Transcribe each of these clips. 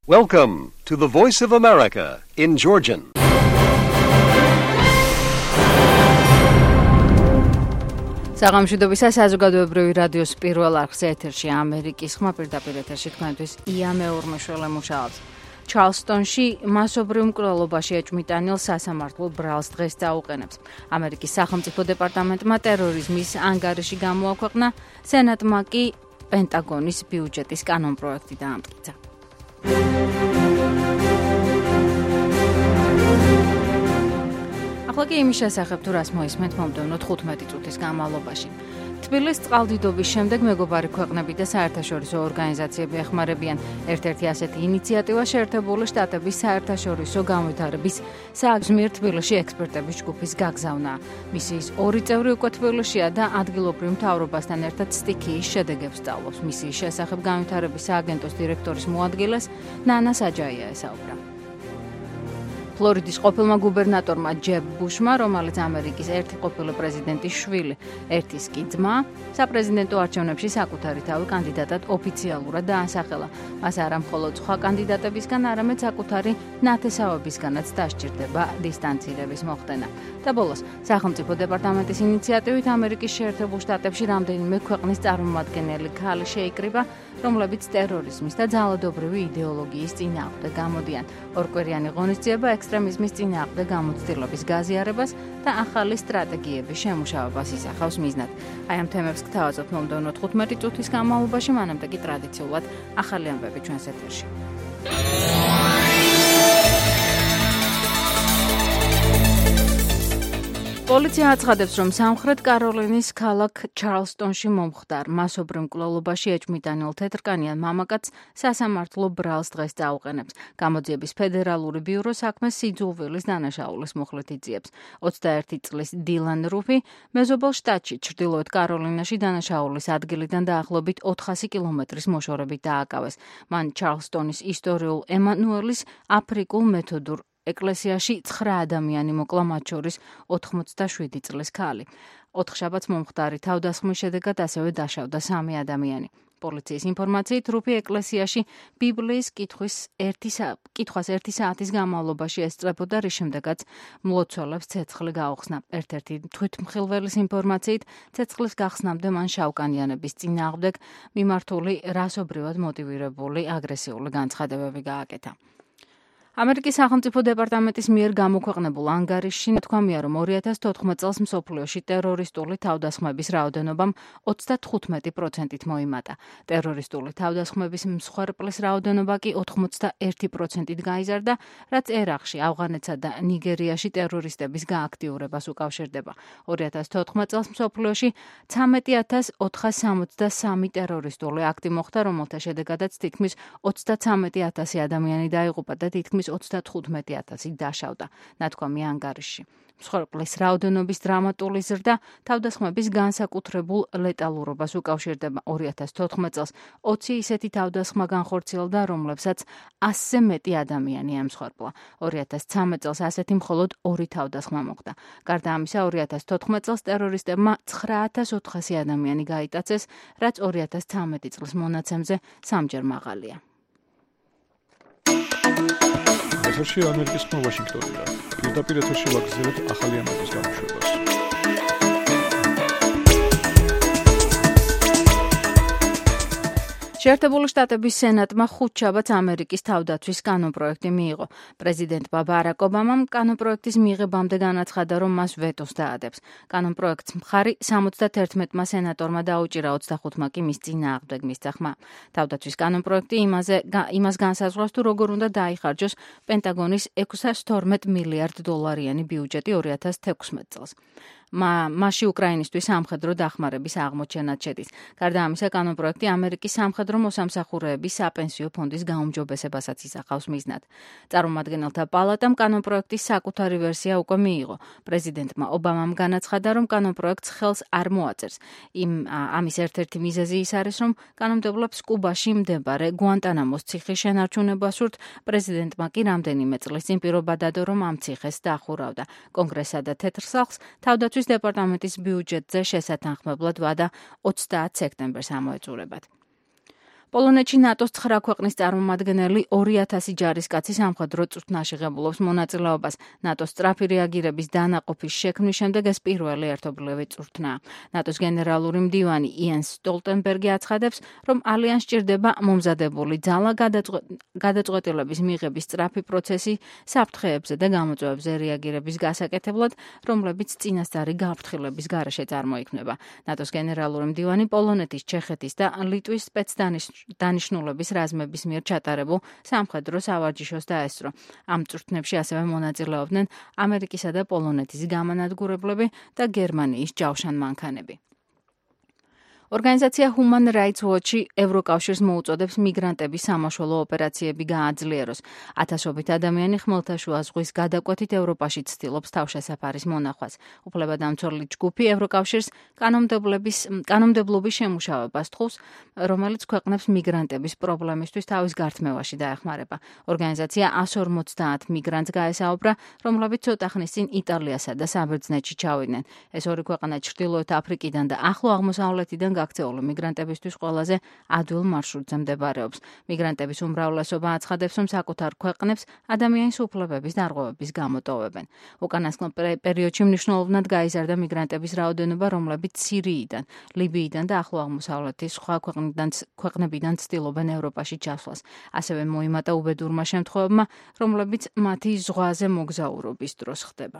Welcome to the Voice of America in Georgian. საღამოშვიდობისა საზოგადოებრივი რადიოს პირველ არხზე ეთერში ამერიკის ხმა პირდაპირ ეთერში თქვენთვის ია მეურმეშველი მუშაობს. ჩარლსტონში მასობრივ მკვლელობაში ეჭვმიტანილ სასამართლო ბრალს დღეს დაუყენებს. ამერიკის სახელმწიფო დეპარტამენტმა ტერორიზმის ანგარიში გამოაქვეყნა, სენატმა კი პენტაგონის ბიუჯეტის კანონპროექტი დაამტკიცა. ახლა კი იმის შესახებ თუ რას მოისმენთ მომდევნო 15 წუთის განმავლობაში. თბილისის წყალდიდობის შემდეგ მეგობარი ქვეყნები და საერთაშორისო ორგანიზაციები ეხმარებიან ერთ-ერთი ასეთი ინიციატივა შეერთებული შტატების საერთაშორისო განვითარების სააგზმიერ თბილისში ექსპერტების ჯგუფის გაგზავნა. მისიის ორი წევრი უკვე თბილისშია და ადგილობრივ მთავრობასთან ერთად სტიქიის შედეგებს სწავლობს. მისიის შესახებ განვითარების სააგენტოს დირექტორის მოადგილეს ნანა საჯაია ესაუბრა. ფლორიდის ყოფილმა გუბერნატორმა ჯებ ბუშმა, რომელიც ამერიკის ერთი ყოფილი პრეზიდენტის შვილი, ერთის კი ძმა, საპრეზიდენტო არჩევნებში საკუთარი თავი კანდიდატად ოფიციალურად დაასახელა. მას არა მხოლოდ სხვა კანდიდატებისგან, არამედ საკუთარი ნათესავებისგანაც დასჭირდება დისტანცირების მოხდენა. და ბოლოს, სახელმწიფო დეპარტამენტის ინიციატივით ამერიკის შეერთებულ შტატებში რამდენიმე ქვეყნის წარმომადგენელი ქალი შეიკრიბა, რომლებიც ტერორიზმის და ძალადობრივი იდეოლოგიის წინააღმდეგ გამოდიან. ორკვირიანი ღონისძიება ექსტრემიზმის წინააღმდეგ გამოცდილების გაზიარებას და ახალი სტრატეგიების შემუშავებას ისახავს მიზნად. აი ამ თემებს გთავაზობთ მომდევნო 15 წუთის განმავლობაში, მანამდე კი ტრადიციულად ახალი ამბები ჩვენს ეთერში. პოლიცია აცხადებს, რომ სამხრეთ კაროლინის ქალაქ ჩარლსტონში მომხდარ მასობრივ მკვლელობაში ეჭვმიტანილ თეთრკანიან მამაკაცს სასამართლო ბრალს დღეს დაუყენებს. გამოძიების ფედერალური ბიურო საქმეს სიძულვილის დანაშაულის მუხლით იძიებს. 21 წლის დილან რუფი მეზობელ შტატში ჩრდილოეთ კაროლინაში დანაშაულის ადგილიდან დაახლოებით 400 კილომეტრის მოშორებით დააკავეს. მან ჩარლსტონის ისტორიულ ემანუელის აფრიკულ მეთოდურ ეკლესიაში 9 ადამიანი მოკლა, მათ შორის 87 წლის ქალი. 4 შაბათს მომხდარი თავდასხმის შედეგად ასევე დაშავდა 3 ადამიანი. პოლიციის ინფორმაციით, რუფი ეკლესიაში ბიბლიის კითხვას 1 საათის განმავლობაში ესწრებოდა, რის შემდეგაც მლოცველებს ცეცხლი გაუხსნა. ერთ-ერთი თვითმხილველის ინფორმაციით, ცეცხლის გახსნამდე მან შავკანიანების წინააღმდეგ მიმართული რასობრივად მოტივირებული აგრესიული განცხადებები გააკეთა. ამერიკის სახელმწიფო დეპარტამენტის მიერ გამოქვეყნებულ ანგარიშში ნათქვამია, რომ 2014 წელს მსოფლიოში ტერორისტული თავდასხმების რაოდენობამ 95%-ით მოიმატა. ტერორისტული თავდასხმების მსხვერპლის რაოდენობა კი 81%-ით გაიზარდა, რაც ერაყში, ავღანეთსა და ნიგერიაში ტერორისტების გააქტიურებას უკავშირდება. 2014 წელს მსოფლიოში 13,463 ტერორისტული აქტი მოხდა, რომელთა შედეგადაც თითქმის 33,000 ადამიანი დაიღუპა და თითქმის 35,000 დაშავდა, ნათქვამია ანგარიშში. მსხვერპლის რაოდენობის დრამატული ზრდა თავდასხმების განსაკუთრებულ ლეტალურობას უკავშირდება. 2014 წელს 20 ისეთი თავდასხმა განხორციელდა, რომლებსაც 100-ზე მეტი ადამიანი ემსხვერპლა. 2013 წელს ასეთი მხოლოდ 2 თავდასხმა მოხდა. გარდა ამისა, 2014 წელს ტერორისტებმა 9400 ადამიანი გაიტაცეს, რაც 2013 წლის მონაცემზე 3-ჯერ მაღალია. ეთერში ამერიკის ხმა ვაშინგტონიდან. პირდაპირ ეთერში ვაგრძელებთ ახალი ამბების გამოშვებას. შეერთებული შტატების სენატმა 5 შაბათს ამერიკის თავდაცვის კანონპროექტი მიიღო. პრეზიდენტმა ბარაკ ობამამ კანონპროექტის მიღებამდე განაცხადა, რომ მას ვეტოს დაადებს. კანონპროექტს მხარი 71-მა სენატორმა დაუჭირა, 25-მა კი მის წინააღმდეგ მისცა ხმა. თავდაცვის კანონპროექტი იმას განსაზღვრავს, თუ როგორ უნდა დაიხარჯოს პენტაგონის $612 მილიარდიანი ბიუჯეტი 2016 წელს. მასში უკრაინისთვის სამხედრო დახმარების აღმოჩენაც შედის. გარდა ამისა, კანონპროექტი ამერიკის სამხედრო მოსამსახურეების საპენსიო ფონდის გაუმჯობესებასაც ისახავს მიზნად. წარმომადგენელთა პალატამ კანონპროექტის საკუთარი ვერსია უკვე მიიღო. პრეზიდენტმა ობამამ განაცხადა, რომ კანონპროექტს ხელს არ მოაწერს. ამის ერთ-ერთი მიზეზი ის არის, რომ კანონმდებლებს კუბაში მდებარე გუანტანამოს ციხის შენარჩუნება სურთ. პრეზიდენტმა კი რამდენიმე წლის წინ პირობა დადო, რომ ამ ციხეს დაახურავდა. კონგრესსა და თეთრ სახლს თავდაცვის დეპარტამენტის ბიუჯეტზე შესათანხმებლად ვადა 30 სექტემბერს ამოეწურებათ. პოლონეთში ნატოს 9 ქვეყნის წარმომადგენელი 2000 ჯარისკაცი სამხედრო წვრთნაში ღებულობს მონაწილეობას. ნატოს სწრაფი რეაგირების დანაყოფის შექმნის შემდეგ ეს პირველი ერთობლივი წვრთნაა. ნატოს გენერალური მდივანი იენს სტოლტენბერგი აცხადებს, რომ ალიანსს სჭირდება მომზადებული ძალა, გადაწყვეტილების მიღების სწრაფი პროცესი საფრთხეებზე და გამოწვევებზე რეაგირების გასაკეთებლად, რომლებიც წინასწარი გაფრთხილების გარეშე წარმოიქმნება. ნატოს გენერალური მდივანი პოლონეთის, ჩეხეთის და ლიტვის სპეცდანიშნულების რაზმების მიერ ჩატარებულ სამხედრო სავარჯიშოს დაესწრო. ამ წვრთნებში ასევე მონაწილეობდნენ ამერიკისა და პოლონეთის გამანადგურებლები და გერმანიის ჯავშანმანქანები. ორგანიზაცია Human Rights Watch-ი ევროკავშირს მოუწოდებს მიგრანტების სამაშველო ოპერაციები გააძლიეროს. ათასობით ადამიანი ხმელთაშუა ზღვის გადაკვეთით ევროპაში ცდილობს თავშესაფარის მონახვას. უფლებადამცველი ჯგუფი ევროკავშირს კანონმდებლობის შემუშავებას თხოვს, რომელიც ქვეყნებს მიგრანტების პრობლემისთვის თავის გართმევაში დაეხმარება. ორგანიზაცია 150 მიგრანტს გაესაუბრა, რომლებიც ცოტა ხნის წინ იტალიასა და საბერძნეთში ჩავიდნენ. ეს ორი ქვეყანა ჩრდილოეთ აფრიკიდან და ახლო აღმოსავლეთიდან გაქცეული მიგრანტებისთვის ყველაზე ადვილ მარშრუტზე მდებარეობს. მიგრანტების უმრავლესობა აცხადებს, რომ საკუთარ ქვეყნებს ადამიანის უფლებების დარღვევების გამოტოვებენ. უკანასკნელ პერიოდში მნიშვნელოვნად გაიზარდა მიგრანტების რაოდენობა, რომლებიც სირიიდან, ლიბიიდან და ახლო აღმოსავლეთის სხვა ქვეყნებიდან ცდილობენ ევროპაში ჩასვლას. ასევე მოიმატა უბედურმა შემთხვევებმა, რომლებიც მათი ზღვაზე მოგზაურობის დროს ხდება.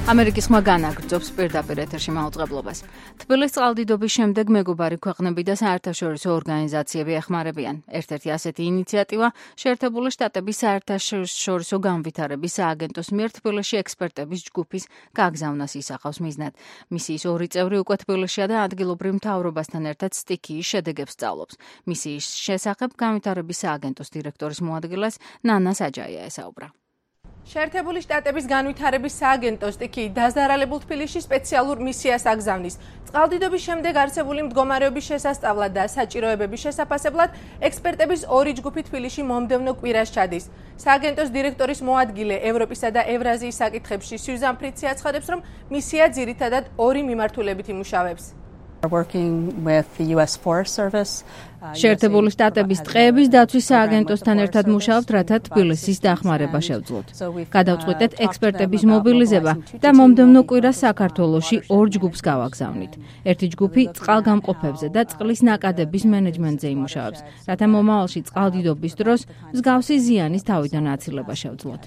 ამერიკის ხმა განაგრძობს პირდაპირ ეთერში მაუწყებლობას. თბილისის წყალდიდობის შემდეგ მეგობარი ქვეყნები და საერთაშორისო ორგანიზაციები ეხმარებიან. ერთ-ერთი ასეთი ინიციატივა შეერთებული შტატების საერთაშორისო განვითარების სააგენტოს მიერ თბილისში ექსპერტების ჯგუფის გაგზავნას ისახავს მიზნად. მისიის ორი წევრი უკვე თბილისშია და ადგილობრივ მთავრობასთან ერთად სტიქიის შედეგებს სწავლობს. მისიის შესახებ განვითარების სააგენტოს დირექტორის მოადგილეს ნანა საჯაია ესაუბრა. შეერთებული შტატების განვითარების სააგენტო სტიქიის დაზარალებულ თბილისში სპეციალურ მისიას აგზავნის. წყალდიდობის შემდეგ არსებული მდგომარეობის შესასწავლად და საჭიროებების შესაფასებლად ექსპერტების ორი ჯგუფი თბილისში მომდევნო კვირას ჩადის. სააგენტოს დირექტორის მოადგილე ევროპისა და ევრაზიის საკითხებში სიუზან ფრიცი აცხადებს, რომ მისია ძირითადად ორი მიმართულებით იმუშავებს. შეერთებული შტატების ტყეების დაცვის სააგენტოსთან ერთად მუშაობთ, რათა თბილისის დახმარება შევძლოთ. გადავწყვიტეთ ექსპერტების მობილიზება და მომდევნო კვირას საქართველოში ორ ჯგუფს გავაგზავნით. ერთი ჯგუფი წყალგამყოფებზე და წყლის ნაკადების მენეჯმენტზე იმუშავებს, რათა მომავალში წყალდიდობის დროს მსგავსი ზიანის თავიდან აცილება შევძლოთ.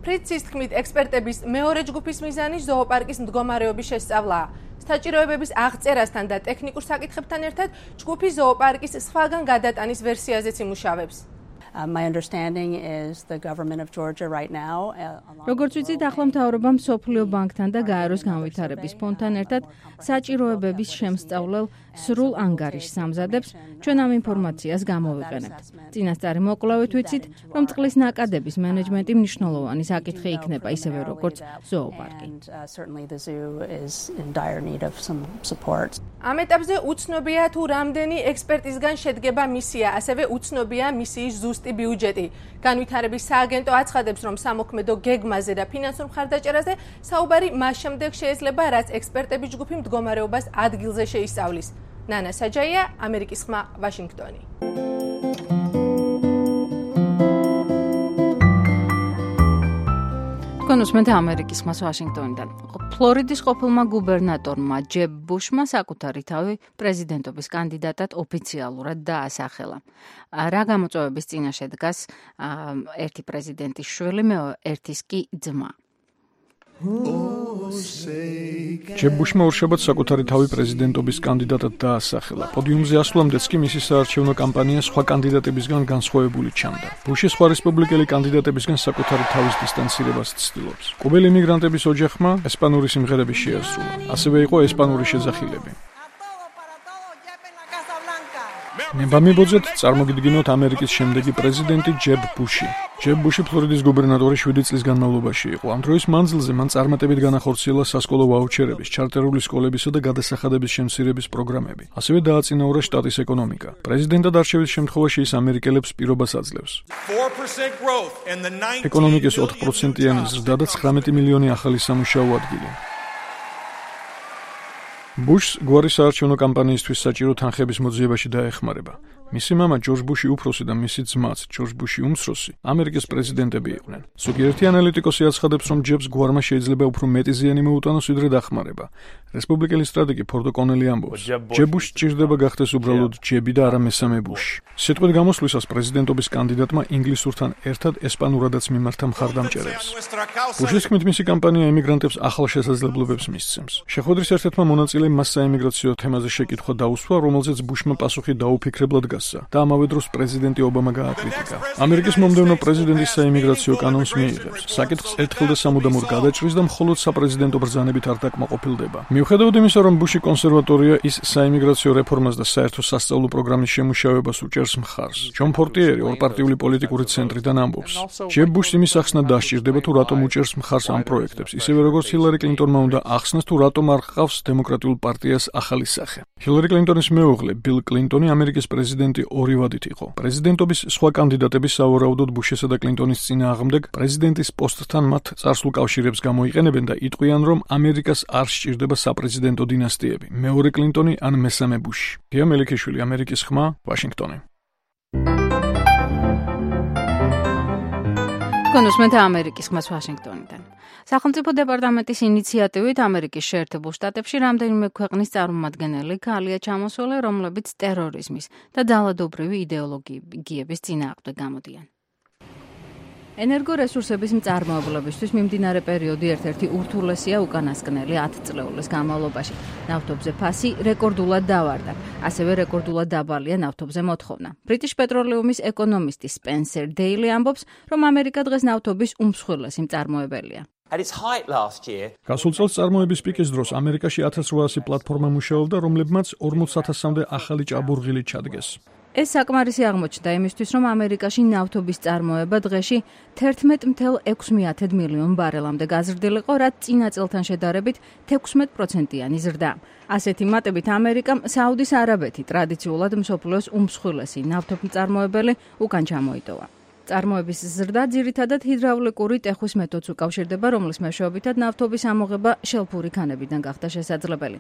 ფრიცის თქმით, ექსპერტების მეორე ჯგუფის მიზანი ზოოპარკის მდგომარეობის შესწავლაა. საჭიროებების აღწერასთან და ტექნიკურ საკითხებთან ერთად ჯგუფი ზოოპარკის სხვაგან გადატანის ვერსიაზეც იმუშავებს. როგორც ვიცით, ახლა მთავრობა მსოფლიო ბანკთან და გაეროს განვითარების ფონდთან ერთად საჭიროებების შემსწავლელ სრულ ანგარიშს ამზადებს, ჩვენ ამ ინფორმაციას გამოვიყენებთ. წინასწარი მოკვლევით ვიცით, რომ წყლის ნაკადების მენეჯმენტი მნიშვნელოვანი საკითხი იქნება, ისევე როგორც ზოოპარკი. ამ ეტაპზე უცნობია თუ რამდენი ექსპერტისგან შედგება მისია, ასევე უცნობია მისიის ზუსტი ბიუჯეტი. განვითარების სააგენტო აცხადებს, რომ სამოქმედო გეგმაზე და ფინანსურ მხარდაჭერაზე საუბარი მას შემდეგ შეიძლება, რაც ექსპერტების ჯგუფი მდგომარეობას ადგილზე შეისწავლის. ნანა საჯაია, ამერიკის ხმა, ვაშინგტონი. თქვენ უსმენთ ამერიკის ხმას ვაშინგტონიდან. ფლორიდის ყოფილმა გუბერნატორმა ჯებ ბუშმა საკუთარი თავი პრეზიდენტობის კანდიდატად ოფიციალურად დაასახელა. რა გამოწვევების წინაშე დგას ერთი პრეზიდენტის შვილი, ერთის კი ძმა. ჯებ ბუშმა ორშაბათს საკუთარი თავი პრეზიდენტობის კანდიდატად დაასახელა. პოდიუმზე ასვლამდეც კი მისი საარჩევნო კამპანია სხვა კანდიდატებისგან განსხვავებული ჩანდა. ბუში სხვა რესპუბლიკელი კანდიდატებისგან საკუთარი თავის დისტანცირებას ცდილობს. კუბელი იმიგრანტების ოჯახმა ესპანური სიმღერები შეასრულა. ასევე იყო ესპანური შეძახილები. ნებამიბოძეთ წარმოგიდგინოთ ამერიკის შემდეგი პრეზიდენტი ჯებ ბუში. ჯებ ბუში ფლორიდის გუბერნატორი 7 წლის განმავლობაში იყო. ამ დროის მანძილზე მან წარმატებით განახორციელა სასკოლო ვაუჩერების, ჩარტერული სკოლებისა და გადასახადების შემცირების პროგრამები. ასევე დააწინაურა შტატის ეკონომიკა. პრეზიდენტად არჩევის შემთხვევაში ის ამერიკელებს პირობას აძლევს. ეკონომიკის 4%-იანი ზრდა და 19 მილიონი ახალი სამუშაო ადგილი. ბუშს გვარი საარჩევნო კამპანიისთვის საჭირო თანხების მოძიებაში დაეხმარება. მისი მამა ჯორჯ ბუში უფროსი და მისი ძმაც ჯორჯ ბუში უმცროსი ამერიკის პრეზიდენტები იყვნენ. ზოგიერთი ანალიტიკოსი აცხადებს, რომ ჯებს გვარმა შეიძლება უფრო მეტი ზიანი მოუტანოს, ვიდრე დახმარება. რესპუბლიკელი სტრატეგი ფორდო კონელი ამბობს, ჯებ ბუშს სჭირდება გახდეს უბრალოდ ჯები და არა მესამე ბუში. სიტყვით გამოსვლისას პრეზიდენტობის კანდიდატმა ინგლისურთან ერთად ესპანურადაც მიმართა მხარდამჭერებს. ბუშის თქმით, მისი კამპანია ემიგრანტებს ახალ შესაძლებლობებს მისცემს. შეხვედრის ერთ-ერთმა მონაწილემ მას საემიგრაციო თემაზე შეკითხვა დაუსვა, რომელზეც ბუშმა პასუხი დაუფიქრებლად და ამავე დროს პრეზიდენტი ობამა გააკრიტიკა. ამერიკის მომდევნო პრეზიდენტის საიმიგრაციო კანონს მიიღებს. საკითხს ერთხელ და სამუდამოდ გადაჭრის და მხოლოდ საპრეზიდენტო ბრძანებით არ დაკმაყოფილდება. მიუხედავად იმისა, რომ ბუში კონსერვატორია, ის საიმიგრაციო რეფორმას და საერთო სასწავლო პროგრამის შემუშავებას უჭერს მხარს. ჯონ ფორტიერი ორპარტიული პოლიტიკური ცენტრიდან ამბობს, ჯებ ბუშს იმის ახსნა დასჭირდება, თუ რატომ უჭერს მხარს ამ პროექტებს, ისევე როგორც ჰილარი კლინტონმა უნდა ახსნას, თუ რატომ არ ჰყავს დემოკრატიულ პარტიას ახალი სახე. ჰილარი კლინტონის მეუღლე ბილ კლინტონი ამერიკის პრეზიდენტი ორი ვადით იყო. პრეზიდენტობის სხვა კანდიდატები სავარაუდოდ ბუშისა და კლინტონის წინააღმდეგ პრეზიდენტის პოსტთან მათ წარსულ კავშირებს გამოიყენებენ და იტყვიან, რომ ამერიკას არ სჭირდება საპრეზიდენტო დინასტიები. მეორე კლინტონი ან მესამე ბუში. გია მელიქიშვილი, ამერიკის ხმა, ვაშინგტონი. კონუსმენთ ამერიკის ხმას ვაშინგტონიდან. სახელმწიფო დეპარტამენტის ინიციატივით ამერიკის შეერთებულ შტატებში რამდენიმე ქვეყნის წარმომადგენელი ქალია ჩამოსული, რომლებიც ტერორიზმის და ძალადობრივი იდეოლოგიების წინააღმდეგ გამოდიან. ენერგორესურსების მწარმოებლებისთვის მიმდინარე პერიოდი ერთ-ერთი ურთულესია უკანასკნელი 10 წლეულის განმავლობაში. ნავთობზე ფასი რეკორდულად დავარდა, ასევე რეკორდულად დაბალია ნავთობზე მოთხოვნა. ბრიტიშ პეტროლიუმის ეკონომისტი სპენსერ დეილი ამბობს, რომ ამერიკა დღეს ნავთობის უმსხვილესი მწარმოებელია. გასულ წელს წარმოების პიკის დროს ამერიკაში 1800 პლატფორმა მუშაობდა, რომლებმაც 40,000-მდე ახალი ჭაბურღილი ჩადგეს. ეს საკმარისი აღმოჩნდა იმისთვის, რომ ამერიკაში ნავთობის წარმოება დღეში 11,6 მილიონ ბარელამდე გაზრდილიყო, რაც წინა წელთან შედარებით 16%-იანი ზრდა. ასეთი მატებით ამერიკამ საუდის არაბეთი ტრადიციულად მსოფლიოს უმსხვილესი ნავთობმწარმოებელი უკან ჩამოიტოვა. წარმოების ზრდა ძირითადად ჰიდრაულიკური ტეხვის მეთოდს უკავშირდება, რომლის მეშვეობითად ნავთობის ამოღება შელფური ქანებიდან გახდა შესაძლებელი.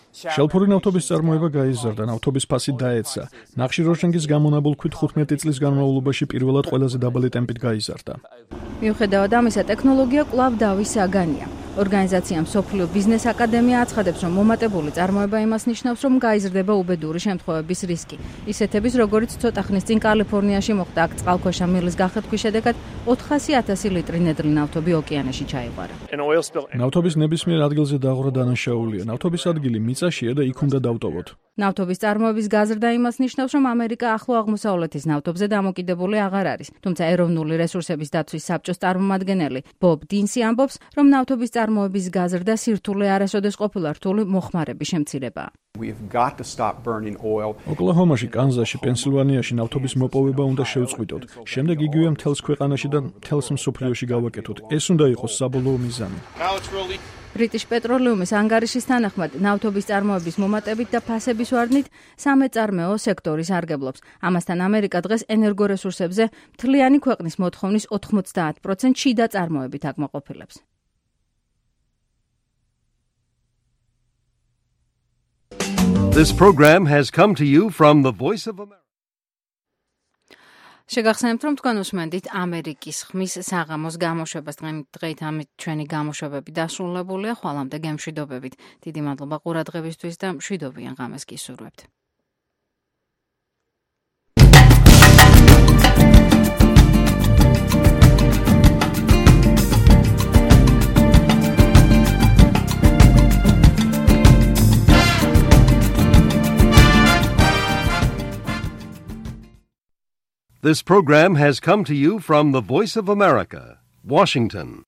შელფური ნავთობის წარმოება გაიზარდა, ნავთობის ფასი დაეცა. ნახშირორჟანგის გამონაბოლქვით 15 წლის განმავლობაში პირველად ყველაზე დაბალი ტემპით გაიზარდა. მიუხედავად ამისა, ტექნოლოგია კვლავ დავის საგანია. ორგანიზაცია მსოფლიო ბიზნეს აკადემია აცხადებს, რომ მომატებული წარმოება იმას ნიშნავს, რომ გაიზრდება უბედური შემთხვევების რისკი. ისეთების, როგორიც ცოტა ხნის წინ კალიფორნიაში მოხდა, აქ წყალქვეშა მილის გახეთქვის შედეგად 400,000 ლიტრი ნედლი ნავთობი ოკეანეში ჩაიყვარა. ნავთობის ნებისმიერ ადგილზე დაღვრა დანაშაულია. ნავთობის ადგილი მიწაშია და იქ უნდა დავტოვოთ. ნავთობის წარმოების გაზრდა იმას ნიშნავს, რომ ამერიკა ახლო აღმოსავლეთის ნავთობზე დამოკიდებული აღარ არის. თუმცა ეროვნული რესურსების დაცვის საბჭოს წარმომადგენელი ბობ დინსი ამბობს, რომ ნავთობის წარმოების გაზრდა სირთულე არასოდეს ყოფილა რთული მოხმარების შემცირებაა. ოკლაჰომაში, კანზასში, პენსილვანიაში ნავთობის მოპოვება უნდა შევწყვიტოთ. შემდეგ იგივე მთელს ქვეყანაში და მთელს მსოფლიოში გავაკეთოთ. ეს უნდა იყოს საბოლოო მიზანი. ბრიტიშ პეტროლიუმის ანგარიშის თანახმად, ნავთობის წარმოების მომატებით და ფასების ვარდნით სამეწარმეო სექტორი სარგებლობს. ამასთან ამერიკა დღეს ენერგორესურსებზე მთლიანი ქვეყნის მოთხოვნის 90% შიდა წარმოებით აკმაყოფილებს. This program has come to you from the Voice of America. შეგახსენებთ, რომ თქვენ უსმენთ ამერიკის ხმის საღამოს გამოშვებას. დღეით ამით ჩვენი გამოშვებები დასრულებულია. ხვალამდე გემშვიდობებით. დიდი მადლობა ყურადღებისთვის და მშვიდობიან ღამეს გისურვებთ. This program has come to you from the Voice of America, Washington.